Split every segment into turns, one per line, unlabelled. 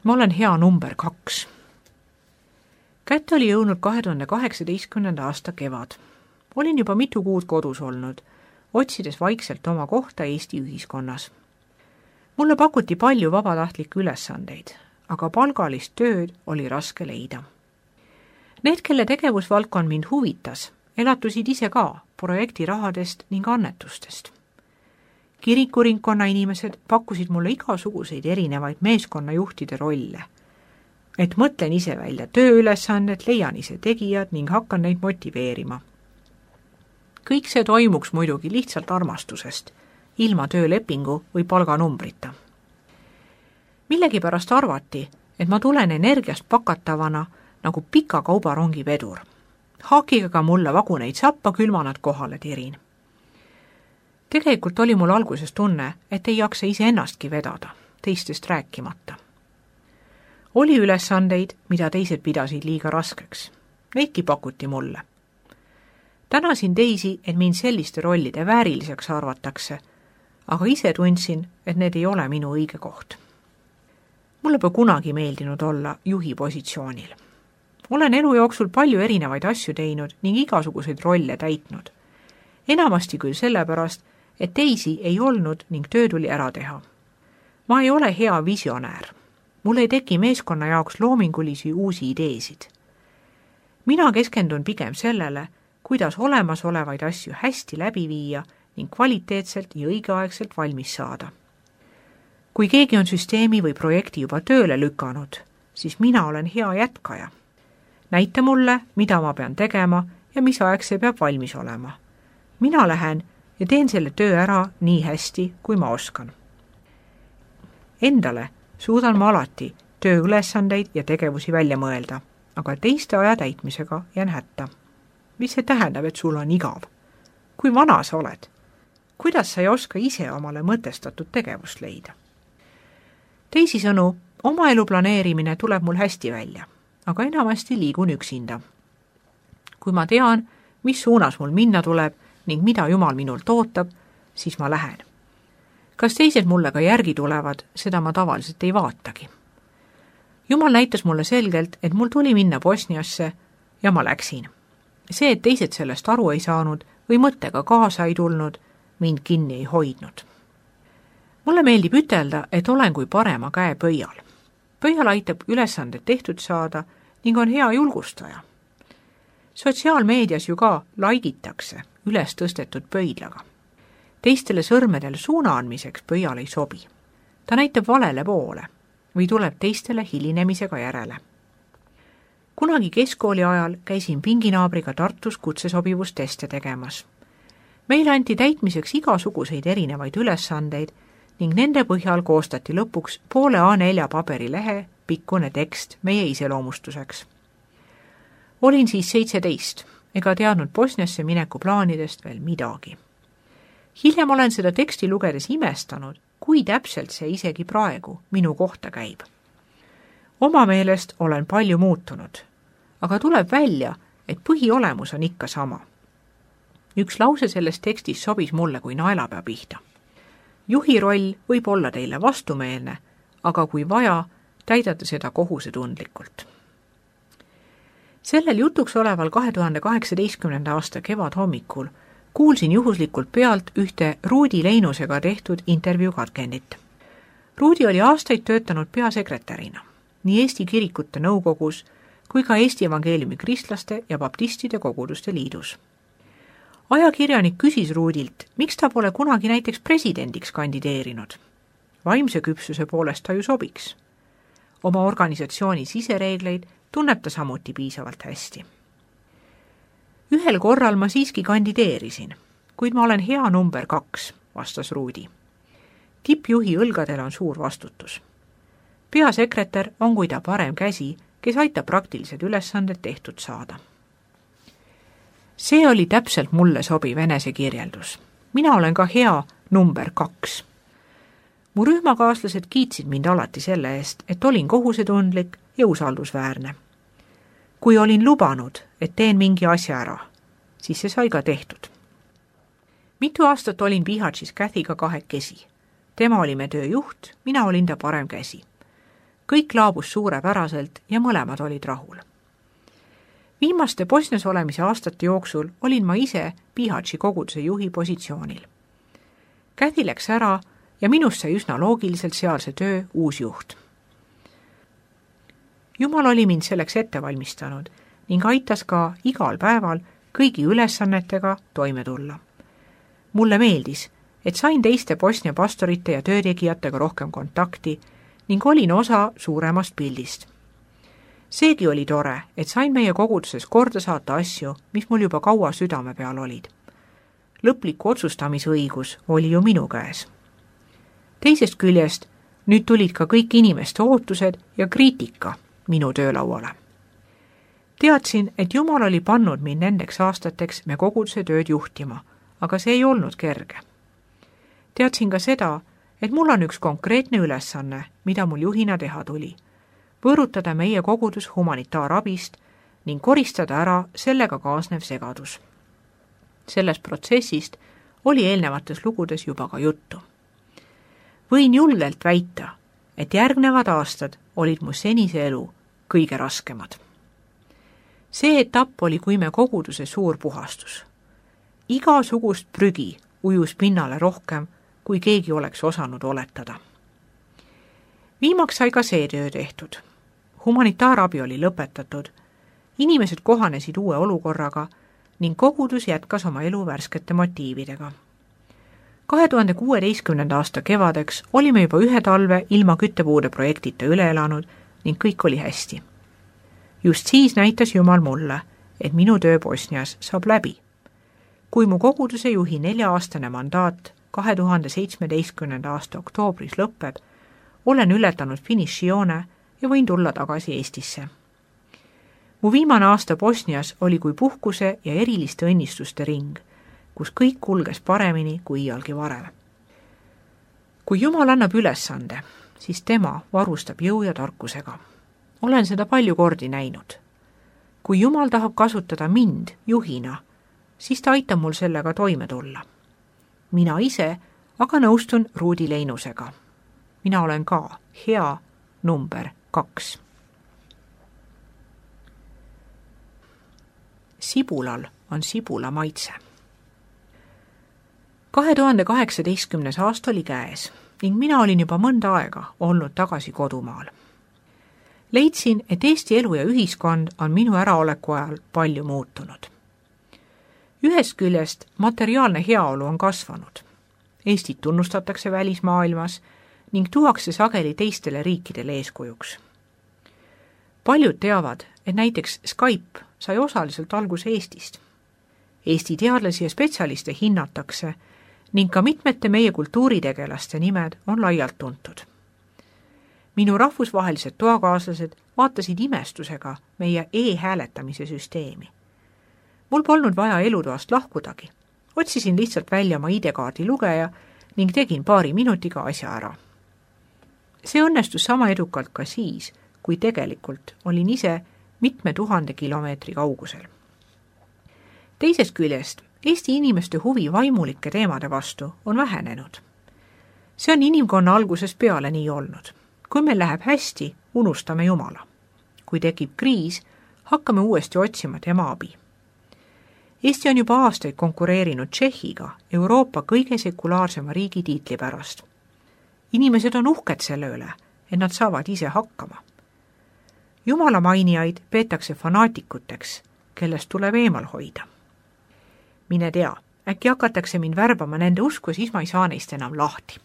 Ma olen hea number 2. Kätte oli jõudnud 2018. aasta kevad. Olin juba mitu kuud kodus olnud, otsides vaikselt oma kohta Eesti ühiskonnas. Mulle pakuti palju vabatahtlikke ülesandeid, aga palgalist tööd oli raske leida. Need, kelle tegevusvaldkond mind huvitas, elatusid ise ka projektirahadest ning annetustest. Kirikuringkonna inimesed pakkusid mulle igasuguseid erinevaid meeskonnajuhtide rolle, et mõtlen ise välja tööülesanded, leian ise tegijad ning hakkan neid motiveerima. Kõik see toimuks muidugi lihtsalt armastusest, ilma töölepingu või palganumbrita. Millegipärast arvati, et ma tulen energiast pakatavana nagu pika kaubarongi vedur. Haakiga ka mulle vaguneid sappa, küll ma nad kohale tirin. Tegelikult oli mul alguses tunne, et ei jaksa iseennastki vedada, teistest rääkimata. Oli ülesandeid, mida teised pidasid liiga raskeks. Neidki pakuti mulle. Tänasin teisi, et mind selliste rollide vääriliseks arvatakse, aga ise tundsin, et need ei ole minu õige koht. Mulle pole kunagi meeldinud olla juhi positsioonil. Olen elu jooksul palju erinevaid asju teinud ning igasuguseid rolle täitnud. Enamasti küll sellepärast, et teisi ei olnud ning töö tuli ära teha. Ma ei ole hea visionäär. Mul ei teki meeskonna jaoks loomingulisi uusi ideesid. Mina keskendun pigem sellele, kuidas olemasolevaid asju hästi läbi viia ning kvaliteetselt ja õigeaegselt valmis saada. Kui keegi on süsteemi või projekti juba tööle lükanud, siis mina olen hea jätkaja. Näita mulle, mida ma pean tegema ja mis aeg see peab valmis olema. Mina lähen ja teen selle töö ära nii hästi, kui ma oskan. Endale suudan ma alati tööülesandeid ja tegevusi välja mõelda, aga teiste aja täitmisega jään hätta. Mis see tähendab, et sul on igav? Kui vana sa oled? Kuidas sa ei oska ise omale mõtestatud tegevust leida? Teisisõnu, oma elu planeerimine tuleb mul hästi välja, aga enamasti liigun üksinda. Kui ma tean, mis suunas mul minna tuleb ning mida Jumal minult ootab, siis ma lähen. Kas teised mulle ka järgi tulevad, seda ma tavaliselt ei vaatagi. Jumal näitas mulle selgelt, et mul tuli minna Bosniasse ja ma läksin. See, et teised sellest aru ei saanud või mõttega kaasa ei tulnud, mind kinni ei hoidnud. Mulle meeldib ütelda, et olen kui parema käe pöial. Pöial aitab ülesanded tehtud saada ning on hea julgustaja. Sotsiaalmeedias ju ka laikitakse üles tõstetud pöidlaga. Teistele sõrmedel suuna andmiseks pöial ei sobi. Ta näitab valele poole või tuleb teistele hilinemisega järele. Kunagi keskkooli ajal käisin pinginaabriga Tartus kutsesobivusteste tegemas. Meile anti täitmiseks igasuguseid erinevaid ülesandeid ning nende põhjal koostati lõpuks poole A4 paberilehe pikkune tekst meie iseloomustuseks. Olin siis 17 ega teadnud Bosniasse mineku plaanidest veel midagi. Hiljem olen seda teksti lugedes imestanud, kui täpselt see isegi praegu minu kohta käib. Oma meelest olen palju muutunud, aga tuleb välja, et põhiolemus on ikka sama. Üks lause sellest tekstis sobis mulle kui naelapea pihta. Juhi roll võib olla teile vastumeelne, aga kui vaja, täidate seda kohusetundlikult. Sellel jutuks oleval 2018. aasta kevadhommikul kuulsin juhuslikult pealt ühte Ruudi Leinusega tehtud intervjuu katkendit. Ruudi oli aastaid töötanud peasekretärina nii Eesti Kirikute Nõukogus kui ka Eesti Evangeeliumi Kristlaste ja Baptistide Koguduste Liidus. Ajakirjanik küsis Ruudilt, miks ta pole kunagi näiteks presidendiks kandideerinud. Vaimse küpsuse poolest ta ju sobiks. Oma organisatsiooni sisereegleid tunneb ta samuti piisavalt hästi. Ühel korral ma siiski kandideerisin, kuid ma olen hea number 2, vastas Ruudi. Tippjuhi õlgadel on suur vastutus. Peasekretär on kui ta parem käsi, kes aitab praktilised ülesanded tehtud saada. See oli täpselt mulle sobiv enesekirjeldus. Mina olen ka hea number 2. Mu rühmakaaslased kiitsid mind alati selle eest, et olin kohusetundlik ja usaldusväärne. Kui olin lubanud, et teen mingi asja ära, siis see sai ka tehtud. Mitu aastat olin Bihatšis Kathyga kahekesi. Tema oli me tööjuht, mina olin ta parem käsi. kõik laabus suurepäraselt ja mõlemad olid rahul. Viimaste Bosnias olemise aastate jooksul olin ma ise Bihaći koguduse juhi positsioonil. Käthi läks ära ja minust sai üsna loogiliselt sealse töö uus juht. Jumal oli mind selleks ette valmistanud ning aitas ka igal päeval kõigi ülesannetega toime tulla. Mulle meeldis, et sain teiste Bosnia pastorite ja töötegijatega rohkem kontakti ning olin osa suuremast pildist. Seegi oli tore, et sain meie koguduses korda saata asju, mis mul juba kaua südame peal olid. Lõpliku otsustamisõigus oli ju minu käes. Teisest küljest nüüd tulid ka kõik inimeste ootused ja kriitika minu töölauale. Teadsin, et Jumal oli pannud mind nendeks aastateks me koguduse tööd juhtima, aga see ei olnud kerge. Teadsin ka seda, et mul on üks konkreetne ülesanne, mida mul juhina teha tuli. Võõrutada meie kogudus humanitaarabist ning koristada ära sellega kaasnev segadus. Sellest protsessist oli eelnevates lugudes juba ka juttu. Võin julgelt väita, et järgnevad aastad olid mu senise elu kõige raskemad. See etapp oli kui me koguduse suur puhastus. Igasugust prügi ujus pinnale rohkem, kui keegi oleks osanud oletada. Viimaks sai ka see töö tehtud. Humanitaarabi oli lõpetatud, inimesed kohanesid uue olukorraga ning kogudus jätkas oma elu värskete motiividega. 2016. aasta kevadeks olime juba ühe talve ilma küttepuude projektita üle elanud ning kõik oli hästi. Just siis näitas Jumal mulle, et minu töö Bosnias saab läbi. Kui mu koguduse juhi 4-aastane mandaat 2017. aasta oktoobris lõpeb, olen ületanud finišijoone ja võin tulla tagasi Eestisse. Mu viimane aasta Bosnias oli kui puhkuse ja eriliste õnnistuste ring, kus kõik kulges paremini kui iialgi varem. Kui Jumal annab ülesande, siis tema varustab jõu ja tarkusega. Olen seda palju kordi näinud. Kui Jumal tahab kasutada mind juhina, siis ta aitab mul sellega toime tulla. Mina ise aga nõustun Ruudi Leinusega. Mina olen ka hea number 2. Sibulal on sibula maitse. 2018. aasta oli käes ning mina olin juba mõnda aega olnud tagasi kodumaal. Leidsin, et Eesti elu ja ühiskond on minu äraoleku ajal palju muutunud. Ühest küljest materiaalne heaolu on kasvanud. Eestit tunnustatakse välismaailmas ning tuuakse sageli teistele riikidele eeskujuks. Paljud teavad, et näiteks Skype sai osaliselt alguse Eestist. Eesti teadlasi ja spetsialiste hinnatakse ning ka mitmete meie kultuuritegelaste nimed on laialt tuntud. Minu rahvusvahelised toakaaslased vaatasid imestusega meie e-hääletamise süsteemi. Mul polnud vaja elutoast lahkudagi. Otsisin lihtsalt välja oma ID-kaardi lugeja ning tegin paari minutiga asja ära. See õnnestus sama edukalt ka siis, kui tegelikult olin ise mitme 1000 kilomeetri kaugusel. Teisest küljest Eesti inimeste huvi vaimulike teemade vastu on vähenenud. See on inimkonna algusest peale nii olnud. Kui meil läheb hästi, unustame Jumala. Kui tekib kriis, hakkame uuesti otsima tema abi. Eesti on juba aastaid konkureerinud Tšehhiga Euroopa kõige sekulaarsema riigi tiitli pärast. Inimesed on uhked selle üle, et nad saavad ise hakkama. Jumala mainijaid peetakse fanaatikuteks, kellest tuleb eemal hoida. Mine tea, äkki hakatakse mind värbama nende usku, siis ma ei saa neist enam lahti.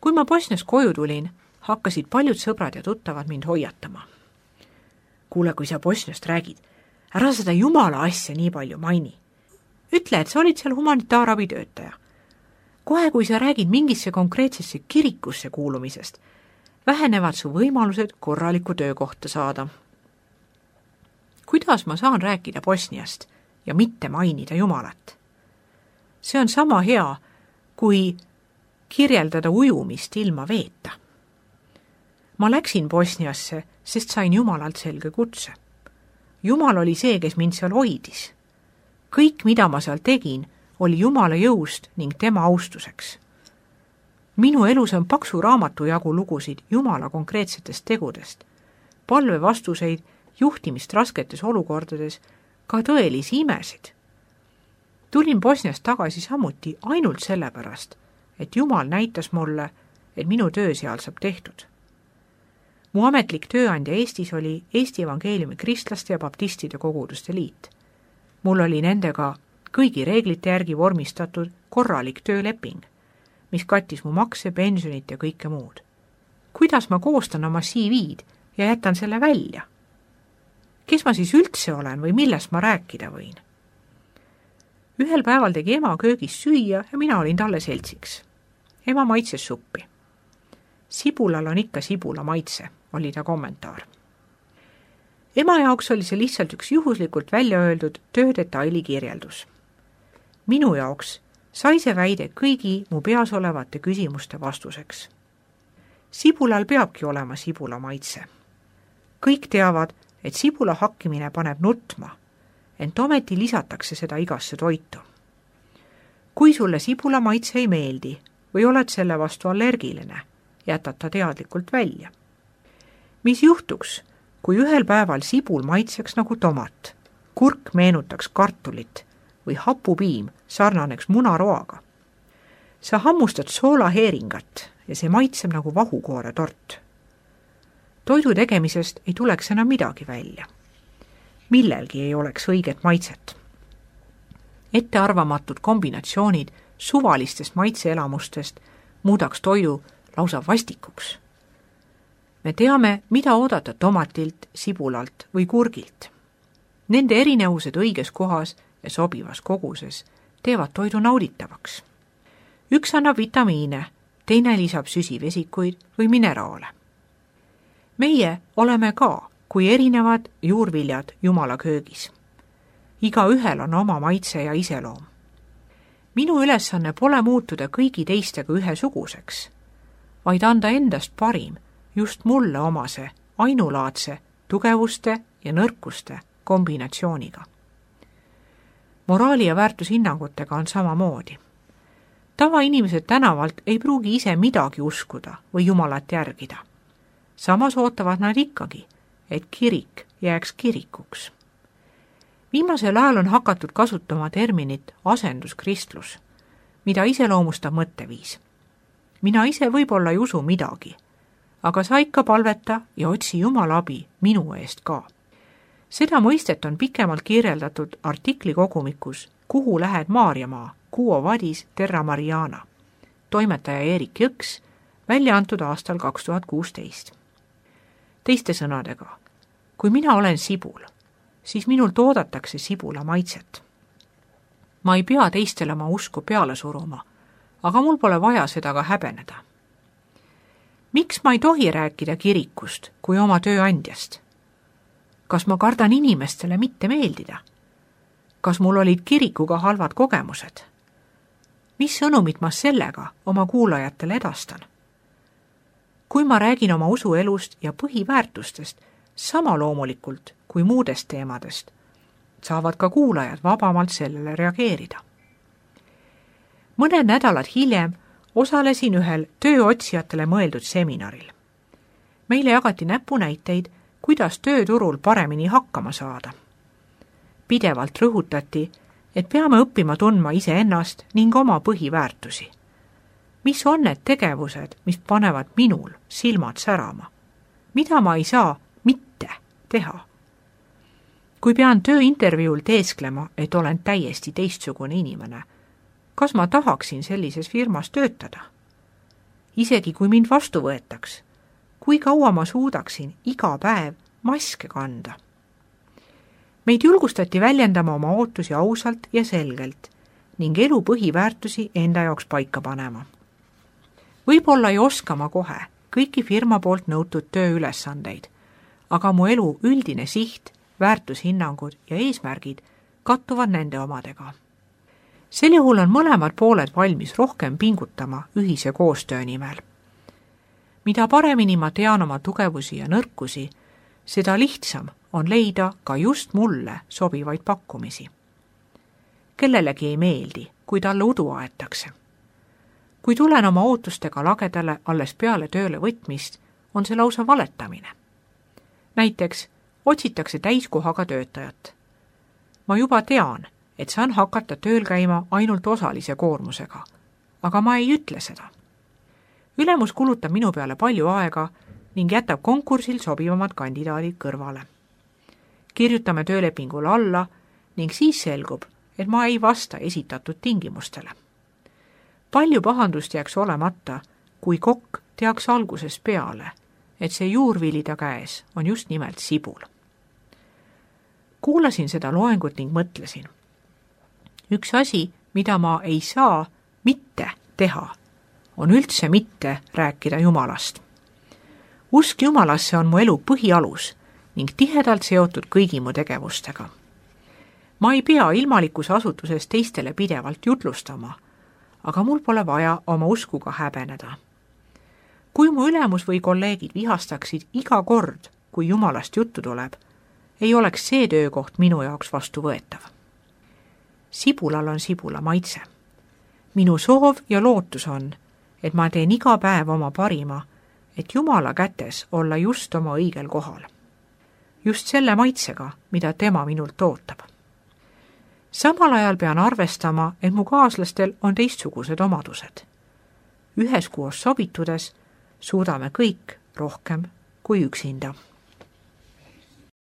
Kui ma Bosnias koju tulin, hakkasid paljud sõbrad ja tuttavad mind hoiatama. Kuule, kui sa Bosniast räägid, ära seda Jumala asja nii palju maini. Ütle, et sa olid seal humanitaarabitöötaja. Kohe, kui sa räägid mingisse konkreetsesse kirikusse kuulumisest, vähenevad su võimalused korralikku töökohta saada. Kuidas ma saan rääkida Bosniast ja mitte mainida Jumalat? See on sama hea, kui kirjeldada ujumist ilma veeta. Ma läksin Bosniasse, sest sain Jumalalt selge kutse. Jumal oli see, kes mind seal hoidis. Kõik, mida ma seal tegin, oli Jumala jõust ning tema austuseks. Minu elus on paksu raamatu jagu lugusid Jumala konkreetsetest tegudest, palvevastuseid, juhtimist rasketes olukordades, ka tõelisi imesid. Tulin Bosniast tagasi samuti ainult sellepärast, et Jumal näitas mulle, et minu töö seal saab tehtud. Mu ametlik tööandja Eestis oli Eesti Evangeeliumi Kristlaste ja Baptistide Koguduste Liit. Mul oli nendega kõigi reeglite järgi vormistatud korralik tööleping, mis kattis mu makse, pensionit ja kõike muud. Kuidas ma koostan oma CV-d ja jätan selle välja? Kes ma siis üldse olen või millest ma rääkida võin? Ühel päeval tegi ema köögis süüa ja mina olin talle seltsiks. Ema maitses suppi. Sibulal on ikka sibula maitse, oli ta kommentaar. Ema jaoks oli see lihtsalt üks juhuslikult välja öeldud töödetaili kirjeldus. Minu jaoks sai see väide kõigi mu peas olevate küsimuste vastuseks. Sibulal peabki olema sibula maitse. Kõik teavad, et sibula hakkimine paneb nutma, ent ometi lisatakse seda igasse toitu. Kui sulle sibula maitse ei meeldi või oled selle vastu allergiline, jätad ta teadlikult välja. Mis juhtuks, kui ühel päeval sibul maitseks nagu tomat, kurk meenutaks kartulit või hapupiim sarnaneks munaroaga? Sa hammustad soolaheeringat ja see maitseb nagu vahukoore tort. Toidu tegemisest ei tuleks enam midagi välja. Millelgi ei oleks õiget maitset. Ettearvamatud kombinatsioonid suvalistest maitseelamustest muudaks toidu lausa vastikuks. Me teame, mida oodata tomatilt, sibulalt või kurgilt. Nende erinevused õiges kohas ja sobivas koguses teevad toidu nauditavaks. Üks annab vitamiine, teine lisab süsivesikuid või mineraale. Meie oleme ka kui erinevad juurviljad Jumala köögis. Igaühel on oma maitse ja iseloom. Minu ülesanne pole muutuda kõigi teistega ühesuguseks, vaid anda endast parim just mulle omase ainulaadse tugevuste ja nõrkuste kombinatsiooniga. Moraali ja väärtushinnangutega on samamoodi. Tavainimesed tänavalt ei pruugi ise midagi uskuda või Jumalat järgida. Samas ootavad nad ikkagi, et kirik jääks kirikuks. Viimasel ajal on hakatud kasutama terminit asenduskristlus, mida iseloomustab mõtteviis. Mina ise võib-olla ei usu midagi, aga sa ikka palveta ja otsi Jumala abi minu eest ka. Seda mõistet on pikemalt kirjeldatud artikli kogumikus Kuhu lähed Maarjamaa, Quo vadis terra Mariana, toimetaja Erik Jõks, välja antud aastal 2016. Teiste sõnadega, kui mina olen sibul, siis minult oodatakse sibula maitset. Ma ei pea teistele oma usku peale suruma, aga mul pole vaja seda ka häbeneda. Miks ma ei tohi rääkida kirikust kui oma tööandjast? Kas ma kardan inimestele mitte meeldida? Kas mul olid kirikuga halvad kogemused? Mis sõnumit ma sellega oma kuulajatele edastan? Kui ma räägin oma usuelust ja põhiväärtustest sama loomulikult kui muudest teemadest, saavad ka kuulajad vabamalt sellele reageerida. Mõned nädalad hiljem osalesin ühel tööotsijatele mõeldud seminaril. Meile jagati näpunäiteid, kuidas tööturul paremini hakkama saada. Pidevalt rõhutati, et peame õppima tundma iseennast ning oma põhiväärtusi. Mis on need tegevused, mis panevad minul silmad särama? Mida ma ei saa mitte teha? Kui pean tööintervjuul teesklema, et olen täiesti teistsugune inimene, kas ma tahaksin sellises firmas töötada? Isegi kui mind vastu võetaks, kui kaua ma suudaksin iga päev maske kanda? Meid julgustati väljendama oma ootusi ausalt ja selgelt ning elu põhiväärtusi enda jaoks paika panema. Võib-olla ei oska ma kohe kõiki firma poolt nõutud tööülesandeid, aga mu elu üldine siht, väärtushinnangud ja eesmärgid kattuvad nende omadega. Sel juhul on mõlemad pooled valmis rohkem pingutama ühise koostöö nimel. Mida paremini ma tean oma tugevusi ja nõrkusi, seda lihtsam on leida ka just mulle sobivaid pakkumisi. Kellelegi ei meeldi, kui talle udu aetakse. kui tulen oma ootustega lagedale alles peale tööle võtmist, on see lausa valetamine. Näiteks otsitakse täiskohaga töötajat. Ma juba tean, et saan hakata tööl käima ainult osalise koormusega, aga ma ei ütle seda. Ülemus kulutab minu peale palju aega ning jätab konkursil sobivamad kandidaadid kõrvale. Kirjutame töölepingule alla ning siis selgub, et ma ei vasta esitatud tingimustele. Palju pahandust jääks olemata, kui kokk teaks algusest peale, et see juurvilida käes on just nimelt sibul. Kuulasin seda loengut ning mõtlesin. Üks asi, mida ma ei saa mitte teha, on üldse mitte rääkida Jumalast. Usk Jumalasse on mu elu põhialus ning tihedalt seotud kõigi mu tegevustega. Ma ei pea ilmalikus asutuses teistele pidevalt jutlustama, aga mul pole vaja oma uskuga häbeneda. Kui mu ülemus või kolleegid vihastaksid iga kord, kui Jumalast juttu tuleb, ei oleks see töökoht minu jaoks vastuvõetav. Sibulal on sibula maitse. Minu soov ja lootus on, et ma teen iga päev oma parima, et Jumala kätes olla just oma õigel kohal. Just selle maitsega, mida tema minult ootab. Samal ajal pean arvestama, et mu kaaslastel on teistsugused omadused. Üheskoos sobitudes suudame kõik rohkem kui üksinda.